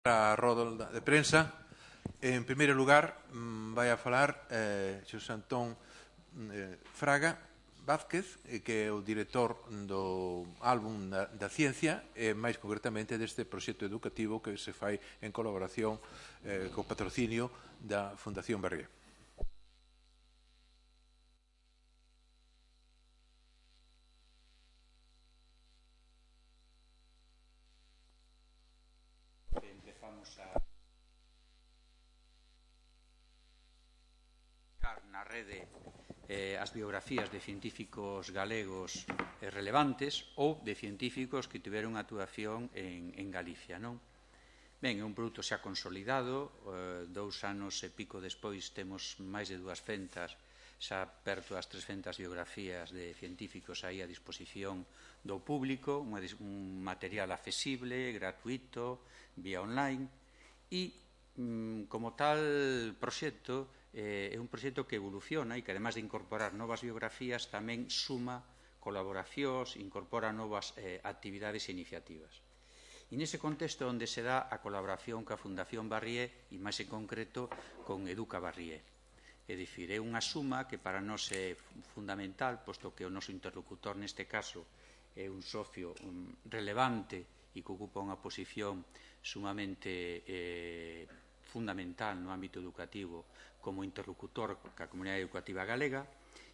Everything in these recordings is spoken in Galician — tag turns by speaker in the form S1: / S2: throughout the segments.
S1: A roda de prensa. En primeiro lugar, vai a falar Xosé Antón Fraga Vázquez, que é o director do álbum da ciencia, e máis concretamente deste proxecto educativo que se fai en colaboración co patrocinio da Fundación Barrié.
S2: Na rede as biografías de científicos galegos relevantes ou de científicos que tiveron actuación en Galicia, non? Ben, é un produto xa consolidado, 2 anos e pico despois temos máis de 200, xa perto das 300 biografías de científicos aí a disposición do público, un material accesible, gratuito, vía online, e como tal proxecto é un proxecto que evoluciona e que, además de incorporar novas biografías, tamén suma colaboracións, incorpora novas actividades e iniciativas. E nese contexto onde se dá a colaboración coa Fundación Barrié e, máis en concreto, con Educa Barrié. É dicir, é unha suma que para nós é fundamental, posto que o noso interlocutor neste caso é un socio relevante e que ocupa unha posición sumamente fundamental no ámbito educativo como interlocutor ca comunidade educativa galega.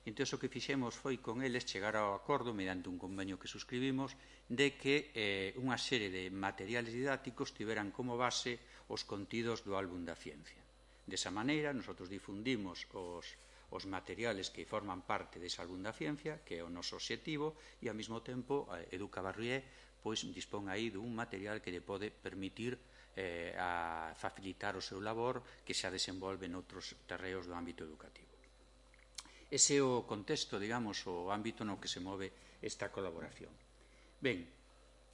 S2: Entón, o que fixemos foi con eles chegar ao acordo, mediante un convenio que suscribimos, de que unha serie de materiales didácticos tiveran como base os contidos do álbum da ciencia. Desa maneira, nosotros difundimos os materiales que forman parte dese álbum da ciencia, que é o noso obxectivo, e ao mesmo tempo Educa Barrié dispón aí dun material que lle pode permitir a facilitar o seu labor que xa desenvolve noutros terreos do ámbito educativo. Ese é o contexto, digamos, o ámbito no que se move esta colaboración. Ben,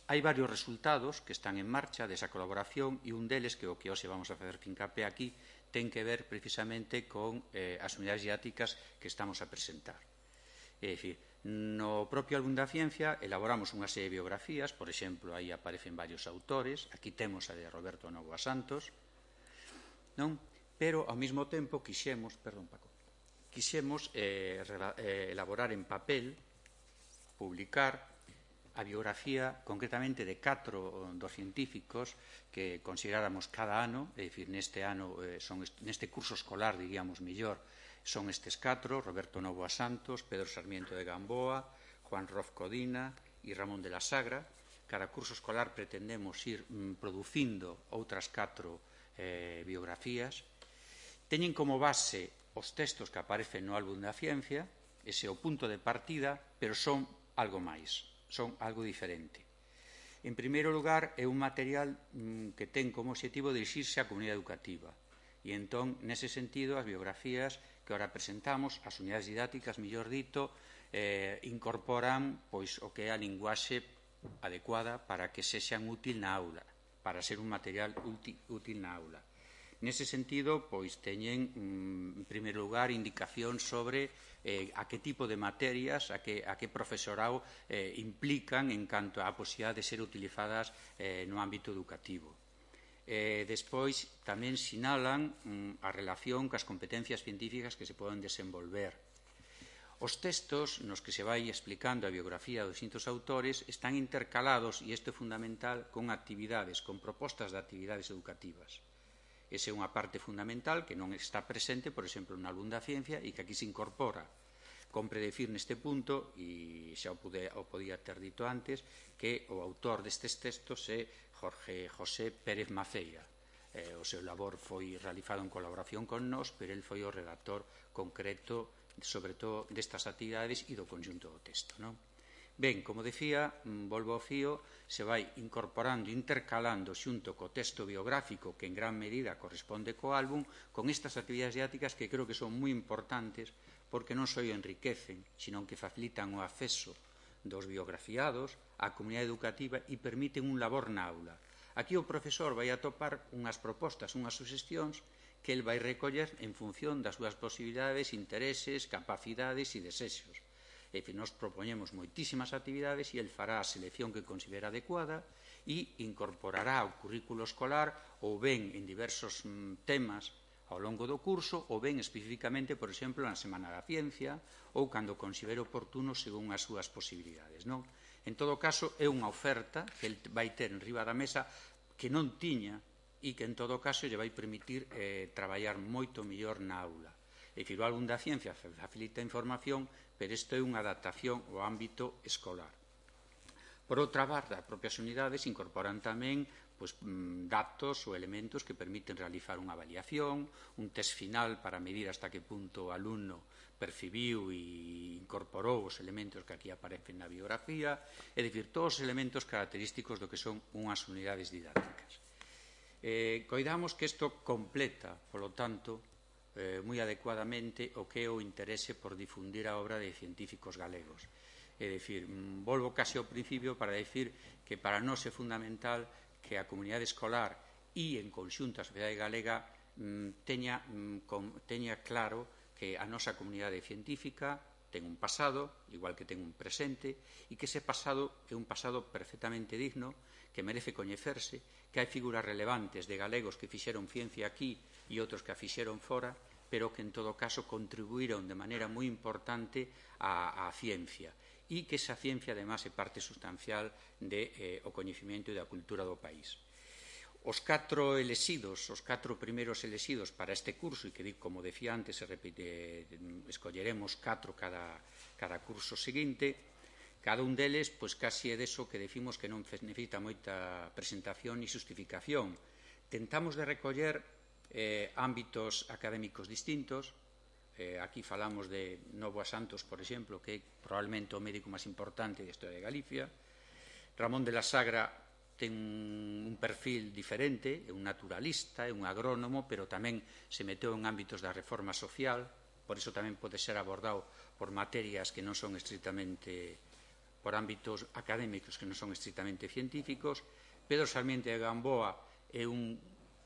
S2: hai varios resultados que están en marcha desa colaboración e un deles, que o que hoxe vamos a facer fincapé aquí, ten que ver precisamente con as unidades didácticas que estamos a presentar. É dicir, no propio álbum da ciencia elaboramos unha serie de biografías, por exemplo, aí aparecen varios autores, aquí temos a de Roberto Novoa Santos, non? Pero ao mesmo tempo quixemos elaborar en papel, publicar a biografía concretamente de 4 dos científicos que consideráramos cada ano, é dicir, neste ano, neste curso escolar, diríamos mellor, son estes 4, Roberto Novoa Santos, Pedro Sarmiento de Gamboa, Juan Roz Codina e Ramón de la Sagra. Cada curso escolar pretendemos ir producindo outras 4 biografías. Teñen como base os textos que aparecen no álbum da ciencia, ese é o punto de partida, pero son algo máis, son algo diferente. En primeiro lugar, é un material que ten como objetivo dirixirse á comunidade educativa. E entón, nese sentido, as biografías que ora presentamos, as unidades didácticas, mellor dito, incorporan o que é a linguaxe adecuada para que sexan útil na aula, para ser un material útil na aula. Nese sentido, teñen, en primeiro lugar, indicación sobre a que tipo de materias, a que profesorado implican en canto á posibilidade de ser utilizadas no ámbito educativo. Despois, tamén sinalan a relación cas competencias científicas que se poden desenvolver. Os textos nos que se vai explicando a biografía dos distintos autores están intercalados, e isto é fundamental, con actividades, con propostas de actividades educativas. Esa é unha parte fundamental que non está presente, por exemplo, no álbum da ciencia e que aquí se incorpora. Compre decir neste punto, e xa o podía ter dito antes, que o autor destes textos é Jorge José Pérez Maceira. O seu labor foi realizado en colaboración con nós, pero el foi o redactor concreto, sobre todo, destas actividades e do conxunto do texto, non? Ben, como decía, volvo ao fío, se vai incorporando, intercalando xunto co texto biográfico que en gran medida corresponde co álbum, con estas actividades didácticas que creo que son moi importantes porque non só enriquecen, sino que facilitan o acceso dos biografiados á comunidade educativa e permiten un labor na aula. Aquí o profesor vai atopar unhas propostas, unhas suxestións que el vai recoller en función das súas posibilidades, intereses, capacidades e desexos. É dicir, nos propoñemos moitísimas actividades e el fará a selección que considera adecuada e incorporará ao currículo escolar ou ben en diversos temas ao longo do curso ou ben especificamente, por exemplo, na Semana da Ciencia ou cando considere oportuno según as súas posibilidades, non? En todo caso, é unha oferta que el vai ter en riba da mesa que non tiña e que en todo caso lle vai permitir traballar moito mellor na aula. É dicir, o álbum da ciencia facilita a información, pero isto é unha adaptación ao ámbito escolar. Por outra parte, as propias unidades incorporan tamén datos ou elementos que permiten realizar unha avaliación, un test final para medir hasta que punto o alumno percibiu e incorporou os elementos que aquí aparecen na biografía, é dicir, todos os elementos característicos do que son unhas unidades didácticas. Coidamos que isto completa, polo tanto, moi adecuadamente o que é o interese por difundir a obra de científicos galegos. É dicir, volvo case ao principio para decir que para nós é fundamental que a comunidade escolar e, en conxunto, a sociedade galega teña claro que a nosa comunidade científica ten un pasado, igual que ten un presente, e que ese pasado é un pasado perfectamente digno, que merece coñecerse, que hai figuras relevantes de galegos que fixeron ciencia aquí e outros que a fixeron fora, pero que, en todo caso, contribuíron de maneira moi importante á ciencia e que esa ciencia, además, é parte sustancial do coñecemento e da cultura do país. Os catro primeiros elexidos para este curso, e que, como decía antes, escolleremos 4 cada curso seguinte, cada un deles, pois casi é deso que decimos que non necesita moita presentación e justificación. Tentamos de recoller ámbitos académicos distintos. Aquí falamos de Novoa Santos, por exemplo, que é probablemente o médico máis importante da historia de Galicia. Ramón de la Sagra ten un perfil diferente, é un naturalista, é un agrónomo, pero tamén se meteu en ámbitos da reforma social, por iso tamén pode ser abordado por materias que non son estritamente, por ámbitos académicos que non son estritamente científicos. Pedro Sarmiento de Gamboa é un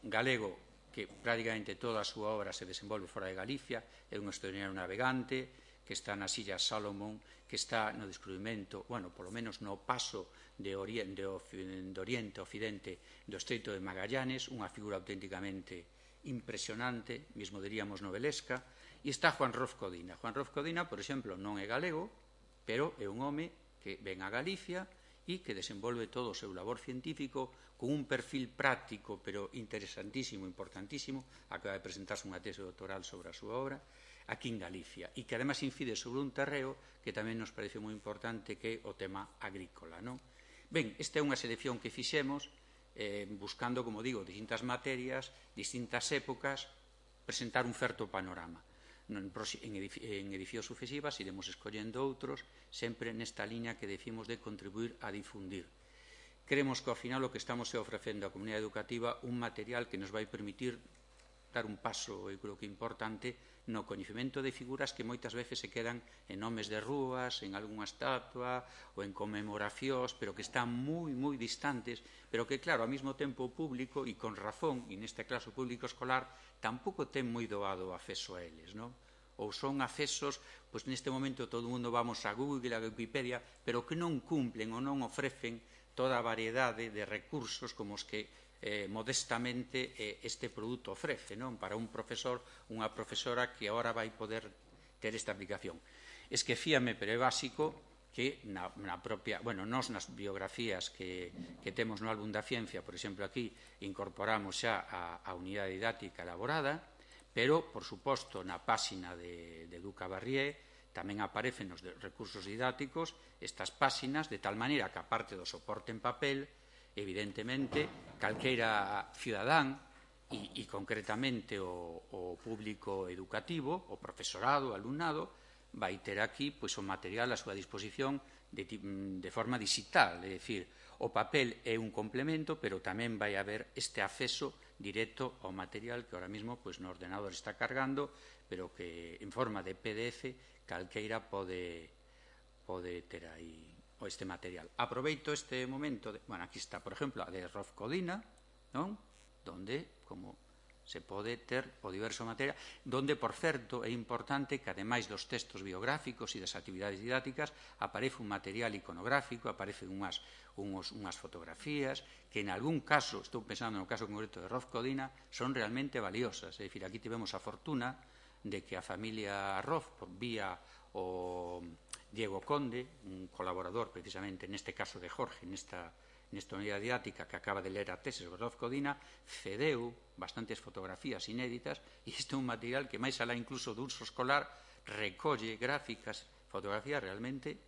S2: galego que prácticamente toda a súa obra se desenvolve fora de Galicia, é un historiador navegante que está nas Illas Salomón, que está no descubrimento, polo menos no paso de Oriente a Occidente do Estreito de Magallanes, unha figura auténticamente impresionante, mesmo diríamos novelesca, e está Juan Roz Codina. Juan Roz Codina, por exemplo, non é galego, pero é un home que ven a Galicia e que desenvolve todo o seu labor científico con un perfil práctico, pero interesantísimo, importantísimo. Acaba de presentarse unha tese doctoral sobre a súa obra aquí en Galicia, e que además incide sobre un terreo que tamén nos parece moi importante, que é o tema agrícola, non? Ben, esta é unha selección que fixemos buscando, como digo, distintas materias, distintas épocas, presentar un certo panorama. En edicións sucesivas iremos escollendo outros, sempre nesta liña que decimos de contribuir a difundir. Creemos que ao final o que estamos ofrecendo á comunidade educativa un material que nos vai permitir dar un paso, eu creo que importante, no coñecemento de figuras que moitas veces se quedan en nomes de rúas, en algunha estatua ou en conmemoracións, pero que están moi, moi distantes, pero que, claro, ao mesmo tempo o público, e con razón, e neste caso o público escolar, tampouco ten moi doado acceso a eles, non? Ou son accesos, pois neste momento todo o mundo vamos a Google, a Wikipedia, pero que non cumplen ou non ofrecen toda a variedade de recursos como os que modestamente este produto ofrece, non? Para un profesor, unha profesora que agora vai poder ter esta aplicación. Esquecíame, pero é básico, que na propia, nos nas biografías que temos no álbum da ciencia, por exemplo, aquí incorporamos xa a unidade didáctica elaborada, pero, por suposto, na páxina de Duca Barrié tamén aparecen os recursos didácticos estas páxinas, de tal maneira que, aparte do soporte en papel, evidentemente, calqueira cidadán e concretamente o público educativo, o profesorado, o alumnado, vai ter aquí o material a súa disposición de forma digital, é dicir, o papel é un complemento, pero tamén vai haber este acceso directo ao material que ahora mesmo no ordenador está cargando, pero que en forma de PDF calqueira pode ter aí este material. Aproveito este momento, aquí está, por exemplo, a de Roz Codina, non? Donde, como se pode ter o diverso material, donde, por certo, é importante que, ademais dos textos biográficos e das actividades didácticas, aparece un material iconográfico, aparecen unhas fotografías, que en algún caso, estou pensando no caso concreto de Roz Codina, son realmente valiosas. É dicir, aquí tivemos a fortuna de que a familia Roz, por vía o Diego Conde, un colaborador precisamente neste caso de Jorge, nesta unidade didáctica que acaba de ler a tese sobre Roz Codina, cedeu bastantes fotografías inéditas e este é un material que, máis alá incluso do uso escolar, recolle gráficas, fotografías realmente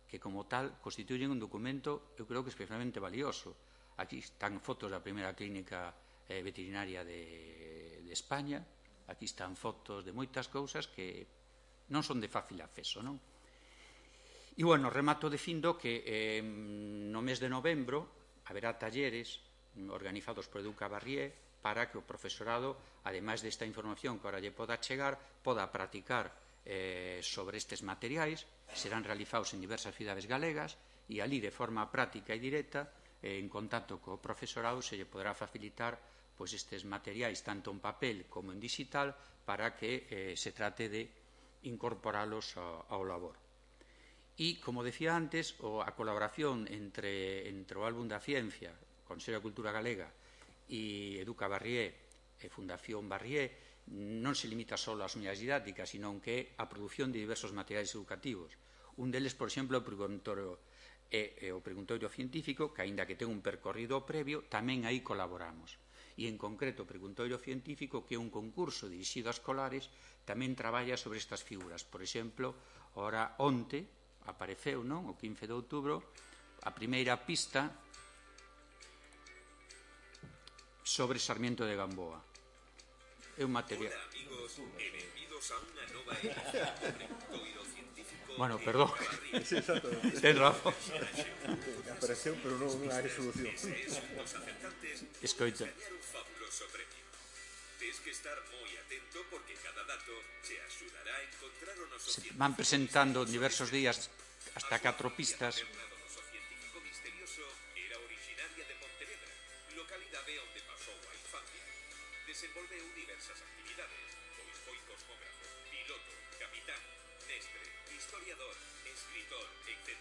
S2: que como tal constituyen un documento, eu creo que especialmente valioso. Aquí están fotos da primeira clínica veterinaria de España, aquí están fotos de moitas cousas que non son de fácil acceso, non? E, bueno, remato dicindo que no mes de novembro haberá talleres organizados por Educa Barrié para que o profesorado, ademais desta información que ahora lle poda chegar, poda practicar sobre estes materiais. Serán realizados en diversas cidades galegas e ali, de forma práctica e directa, en contacto co profesorado, se lle poderá facilitar estes materiais, tanto en papel como en digital, para que se trate de incorporalos ao labor. E, como decía antes, a colaboración entre o Álbum da Ciencia, Consello da Cultura Galega, e Educa Barrié e Fundación Barrié, non se limita só ás unidades didácticas, sino que a produción de diversos materiais educativos. Un deles, por exemplo, o preguntorio científico, que, aínda que ten un percorrido previo, tamén aí colaboramos. E, en concreto, o preguntorio científico, que é un concurso dirixido a escolares, tamén traballa sobre estas figuras. Por exemplo, ora onte apareceu, non, o 15 de outubro, a primeira pista sobre Sarmiento de Gamboa. É un material...
S3: Hola, amigos, e benvidos a unha nova edición do Preguntoiro Científico.
S2: Bueno, perdón.
S4: Sí, exacto.
S2: Ten razón.
S4: Apareceu, pero non hai solución.
S3: Os acertantes
S2: Escoita.
S3: gañar un fabuloso premio. Tens que estar moi atento porque cada dato te axudará a encontrar o noso científico.
S2: Van presentando en diversos días hasta 4 pistas.
S3: O noso científico misterioso era originaria de Pontevedra, localidade onde pasou a infancia. Desenvolveu diversas actividades, pois foi cosmógrafo, piloto, capitán, mestre, historiador, escritor, etc.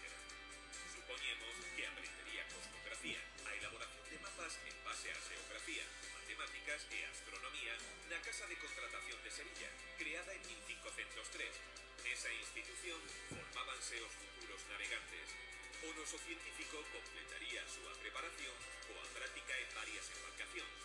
S3: Supoñemos que aprendería cosmografía, a elaboración de mapas en base á xeografía, matemáticas e astronomía na Casa de Contratación de Sevilla, creada en 1503. Nesa institución formábanse os futuros navegantes. O noso científico completaría a súa preparación coa práctica en varias embarcacións.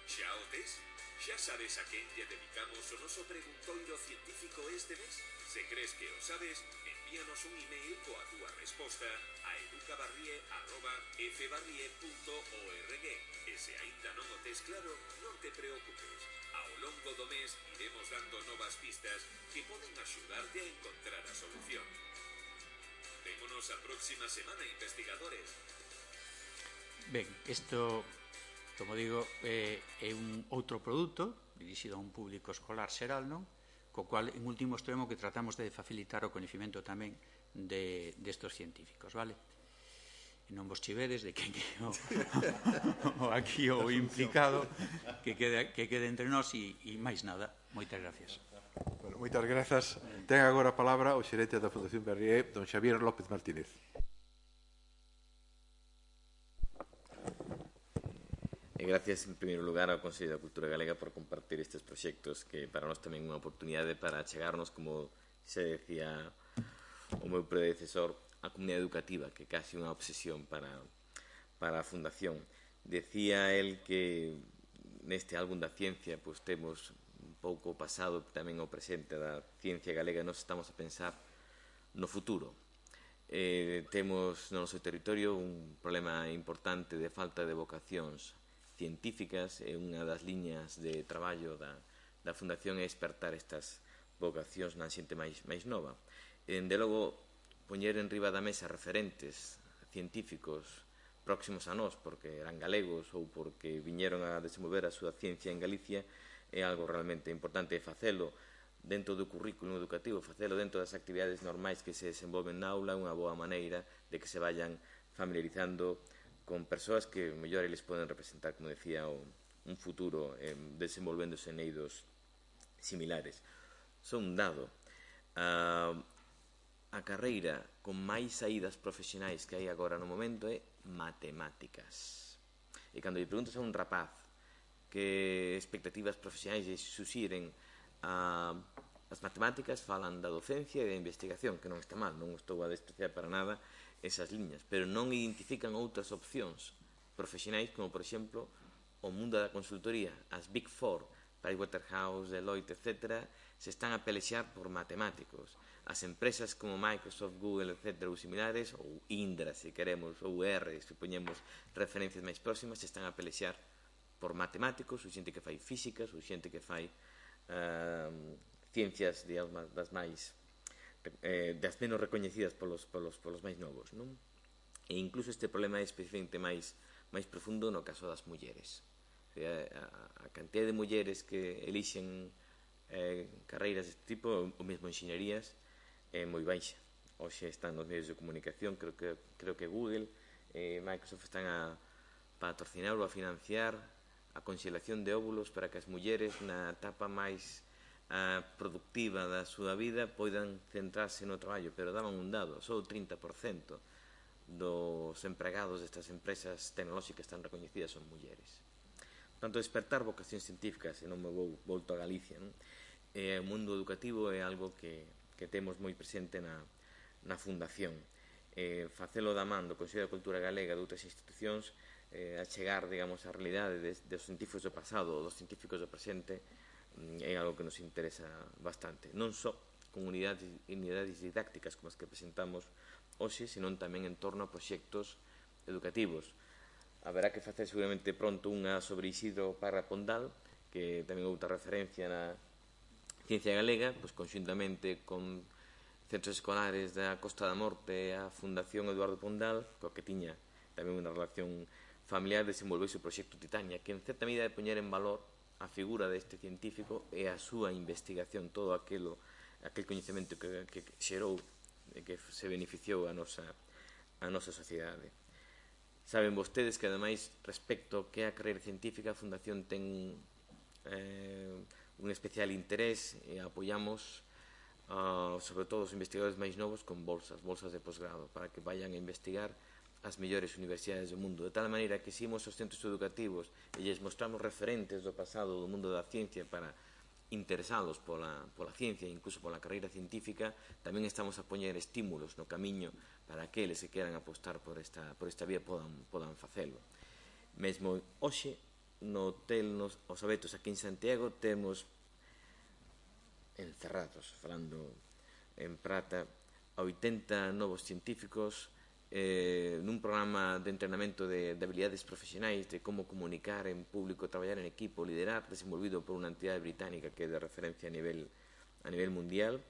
S3: Xa o tes? Xa sabes a quen lle dedicamos o noso preguntoiro científico este mes? Se crees que o sabes, envíanos un email coa túa resposta a educabarrie@fbarrie.org e se aínda non o tes claro, non te preocupes. Ao longo do mes iremos dando novas pistas que poden axudarte a encontrar a solución. Vémonos a próxima semana, investigadores.
S2: Ben, isto, como digo, é un outro produto dirixido a un público escolar xeral, non? Co cual, en último extremo, que tratamos de facilitar o coñecemento tamén destos científicos, vale? E non vos chivedes de que aquí o implicado que quede entre nós e máis nada. Moitas gracias.
S1: Bueno, moitas grazas. Ten agora a palabra o xerente da Fundación Barrié, don Xavier López Martínez.
S5: Gracias, en primeiro lugar, ao Consello da Cultura Galega por compartir estes proxectos que para nós tamén é unha oportunidade para chegarnos, como se decía o meu predecesor, a comunidade educativa, que é casi unha obsesión para a Fundación. Decía el que neste álbum da ciencia pues, temos un pouco o pasado tamén o presente da ciencia galega e nos estamos a pensar no futuro. Temos no noso territorio un problema importante de falta de vocacións científicas e unha das liñas de traballo da Fundación é despertar estas vocacións na xente máis nova. De logo, poñer en riba da mesa referentes científicos próximos a nós, porque eran galegos ou porque viñeron a desenvolver a súa ciencia en Galicia, é algo realmente importante facelo dentro do currículum educativo, facelo dentro das actividades normais que se desenvolven na aula, unha boa maneira de que se vayan familiarizando con persoas que mellor eles poden representar, como decía o un futuro desenvolvéndose en eidos similares. Son un dado. A carreira con máis saídas profesionais que hai agora no momento é matemáticas. E cando lle preguntas a un rapaz que expectativas profesionais lle suxiren as matemáticas, falan da docencia e da investigación, que non está mal, non estou a despreciar para nada esas liñas, pero non identifican outras opcións profesionais como, por exemplo, o mundo da consultoría. As Big Four, Pricewaterhouse, Deloitte, etc., se están a pelexar por matemáticos. As empresas como Microsoft, Google, etc., ou similares, ou Indra, se queremos, ou R, se poñemos referencias máis próximas, se están a pelexar por matemáticos, ou xente que fai físicas, ou xente que fai ciencias, digamos, das menos recoñecidas polos máis novos, non? E incluso este problema é especialmente máis profundo no caso das mulleres. A cantidad de mulleres que elixen carreiras deste tipo, ou mesmo enxeñerías, é moi baixa. Hoxe están nos medios de comunicación, creo que Google e Microsoft están a patrocinar ou a financiar a conxelación de óvulos para que as mulleres na etapa máis productiva da súa vida poidan centrarse no traballo, pero daban un dado, só o 30% dos empregados destas empresas tecnolóxicas tan recoñecidas son mulleres. Tanto despertar vocacións científicas, e non me volto a Galicia, non? O mundo educativo é algo que temos moi presente na Fundación. Facelo da man do Consello da Cultura Galega de outras institucións, a chegar, digamos, a realidade dos científicos do pasado ou dos científicos do presente, é algo que nos interesa bastante. Non só con unidades didácticas como as que presentamos hoxe, senón tamén en torno a proxectos educativos. Haberá que facer seguramente pronto unha sobre Isidro Parra Pondal, que tamén outra referencia na ciencia galega, pois conxuntamente con centros escolares da Costa da Morte e a Fundación Eduardo Pondal, coa que tiña tamén unha relación familiar, desenvolveuse o proxecto Titania, que en certa medida de poñer en valor a figura deste científico e a súa investigación, todo aquel coñecemento que xerou e que se beneficiou a nosa sociedade. Saben vostedes que, ademais, respecto ao que é a carreira científica, a Fundación ten un especial interés e apoiamos sobre todo os investigadores máis novos con bolsas de posgrado, para que vayan a investigar as mellores universidades do mundo, de tal maneira que se imos aos centros educativos e lles mostramos referentes do pasado do mundo da ciencia para interesados pola ciencia e incluso pola carreira científica, tamén estamos a poñer estímulos no camiño para que eles que queran apostar por esta vía podan facelo. Mesmo hoxe, no hotel Os Abetos aquí en Santiago, temos encerrados, falando en prata, a 80 novos científicos nun programa de entrenamento de habilidades profesionais, de como comunicar en público, traballar en equipo, liderar, desenvolvido por unha entidade británica que é de referencia a nivel mundial,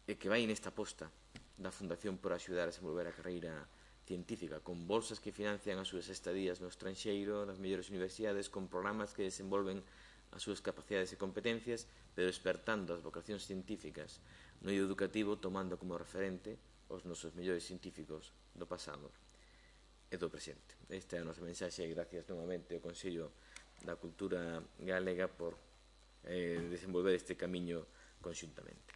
S5: e que vai nesta aposta da Fundación por axudar a desenvolver a carreira científica, con bolsas que financian as súas estadías no estranxeiro, nas mellores universidades, con programas que desenvolven as súas capacidades e competencias, pero despertando as vocacións científicas no eido educativo, tomando como referente os nosos mellores científicos do pasado e do presente. Esta é a nosa mensaxe e gracias novamente ao Consello da Cultura Galega por desenvolver este camiño conxuntamente.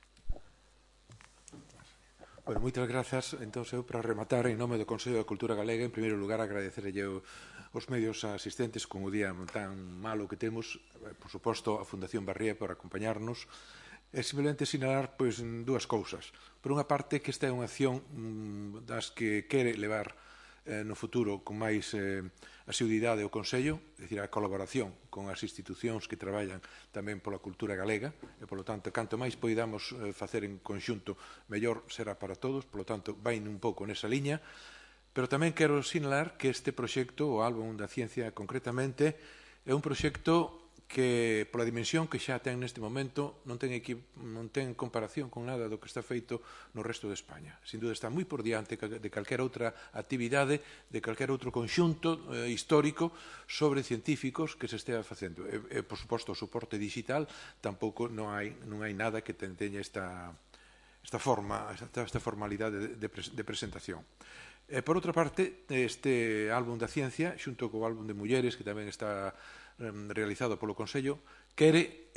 S1: Bueno, moitas grazas. Entón, eu para rematar, en nome do Consello da Cultura Galega, en primeiro lugar, agradecerlle os medios asistentes con o día tan malo que temos, por suposto, a Fundación Barría por acompañarnos, e simplemente sinalar dúas cousas. Por unha parte, que esta é unha acción das que quere levar no futuro con máis asiduidade o Consello, é dicir, a colaboración con as institucións que traballan tamén pola cultura galega, e, polo tanto, canto máis poidamos facer en conxunto, mellor será para todos, polo tanto, vai un pouco nesa liña, pero tamén quero sinalar que este proxecto, o Álbum da Ciencia concretamente, é un proxecto que, pola dimensión que xa ten neste momento, non ten comparación con nada do que está feito no resto de España. Sin duda está moi por diante de calquera outra actividade, de calquera outro conxunto histórico sobre científicos que se estea facendo. E, por suposto, o soporte digital tampouco non hai nada que teña esta formalidade de presentación. Por outra parte, este Álbum da Ciencia, xunto co Álbum de Mulleres, que tamén está realizado polo Consello, quere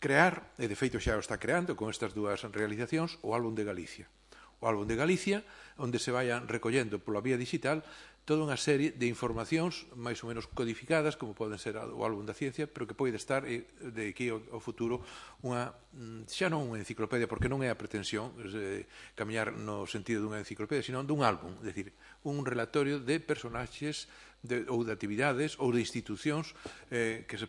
S1: crear, e de feito xa o está creando con estas dúas realizacións, o álbum de Galicia. O álbum de Galicia, onde se vayan recollendo pola vía digital toda unha serie de informacións máis ou menos codificadas, como poden ser o álbum da ciencia, pero que pode estar de aquí ao futuro xa non unha enciclopedia, porque non é a pretensión camiñar no sentido dunha enciclopedia, sino dun álbum, é dicir, un relatorio de personaxes ou de actividades ou de institucións que se